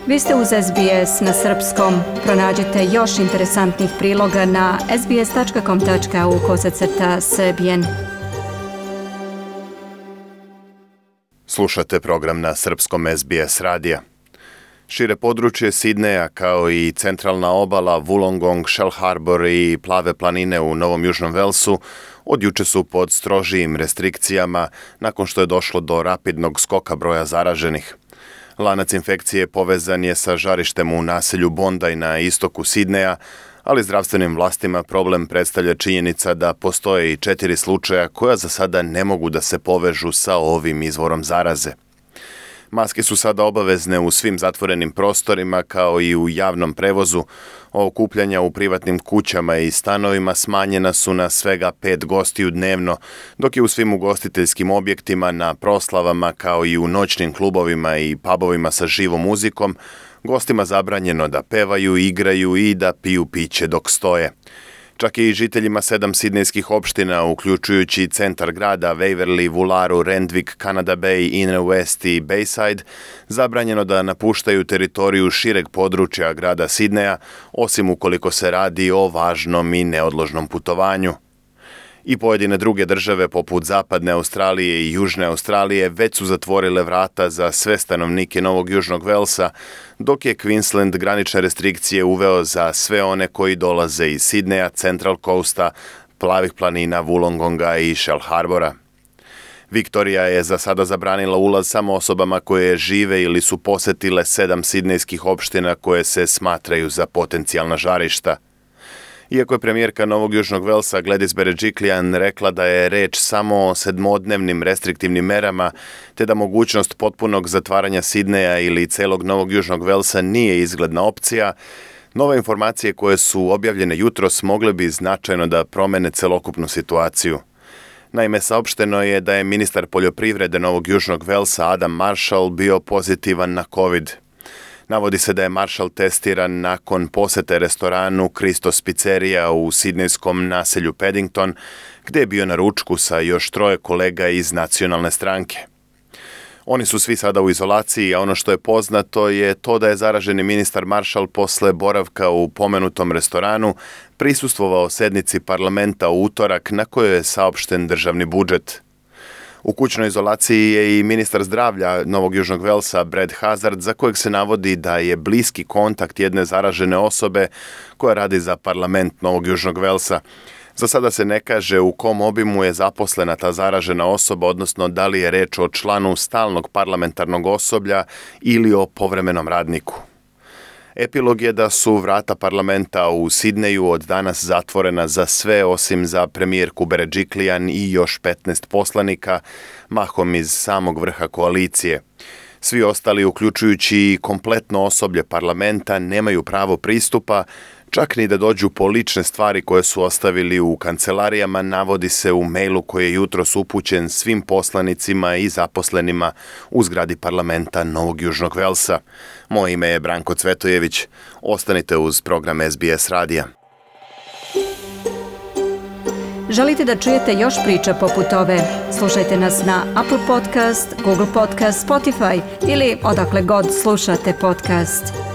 Vi ste uz SBS na srpskom. Pronađite još interesantnih priloga na sbs.com.au/srbijen. Slušate program na srpskom SBS radija. Šire područje Sidneja, kao i centralna obala, Wollongong, Shell Harbour i plave planine u Novom Južnom Velsu od juče su pod strožijim restrikcijama nakon što je došlo do rapidnog skoka broja zaraženih. Lanac infekcije povezan je sa žarištem u naselju Bondi na istoku Sidneja, ali zdravstvenim vlastima problem predstavlja činjenica da postoje i 4 slučaja koja za sada ne mogu da se povežu sa ovim izvorom zaraze. Maske su sada obavezne u svim zatvorenim prostorima kao i u javnom prevozu. Okupljanja u privatnim kućama i stanovima smanjena su na svega 5 gostiju dnevno, dok je u svim ugostiteljskim objektima, na proslavama kao i u noćnim klubovima i pubovima sa živom muzikom gostima zabranjeno da pevaju, igraju i da piju piće dok stoje. Čak i žiteljima 7 sidnejskih opština, uključujući centar grada, Waverley, Woolaru, Randwick, Canada Bay, Inner West i Bayside, zabranjeno da napuštaju teritoriju šireg područja grada Sidneja, osim ukoliko se radi o važnom i neodložnom putovanju. I pojedine druge države poput Zapadne Australije i Južne Australije već su zatvorile vrata za sve stanovnike Novog Južnog Velsa, dok je Queensland granične restrikcije uveo za sve one koji dolaze iz Sidneja, Central Coasta, plavih planina, Wollongonga i Shell Harboura. Viktorija je za sada zabranila ulaz samo osobama koje žive ili su posetile 7 sidnejskih opština koje se smatraju za potencijalna žarišta. Iako je premijerka Novog Južnog Velsa Gladys Berejiklian rekla da je reč samo o 7-dnevnim restriktivnim merama, te da mogućnost potpunog zatvaranja Sidneja ili celog Novog Južnog Velsa nije izgledna opcija, nove informacije koje su objavljene jutros mogle bi značajno da promene celokupnu situaciju. Naime, saopšteno je da je ministar poljoprivrede Novog Južnog Velsa Adam Marshall bio pozitivan na COVID. Navodi se da je Marshall testiran nakon posete restoranu Christos Pizzeria u sidnejskom naselju Paddington, gde je bio na ručku sa još 3 kolega iz nacionalne stranke. Oni su svi sada u izolaciji, a ono što je poznato je to da je zaraženi ministar Marshall posle boravka u pomenutom restoranu prisustvovao sednici parlamenta u utorak na kojoj je saopšten državni budžet. U kućnoj izolaciji je i ministar zdravlja Novog Južnog Velsa Brad Hazzard, za kojeg se navodi da je bliski kontakt jedne zaražene osobe koja radi za parlament Novog Južnog Velsa. Za sada se ne kaže u kom obimu je zaposlena ta zaražena osoba, odnosno da li je reč o članu stalnog parlamentarnog osoblja ili o povremenom radniku. Epilog je da su vrata parlamenta u Sidneju od danas zatvorena za sve osim za premijerku Berejiklian i još 15 poslanika, mahom iz samog vrha koalicije. Svi ostali, uključujući i kompletno osoblje parlamenta, nemaju pravo pristupa, čak ni da dođu po lične stvari koje su ostavili u kancelarijama, navodi se u mailu koji je jutros upućen svim poslanicima i zaposlenima u zgradi parlamenta Novog Južnog Velsa. Moje ime je Branko Cvetojević. Ostanite uz program SBS radija. Želite da čujete još priča poput ove? Slušajte nas na Apple Podcast, Google Podcast, Spotify ili odakle god slušate podcast.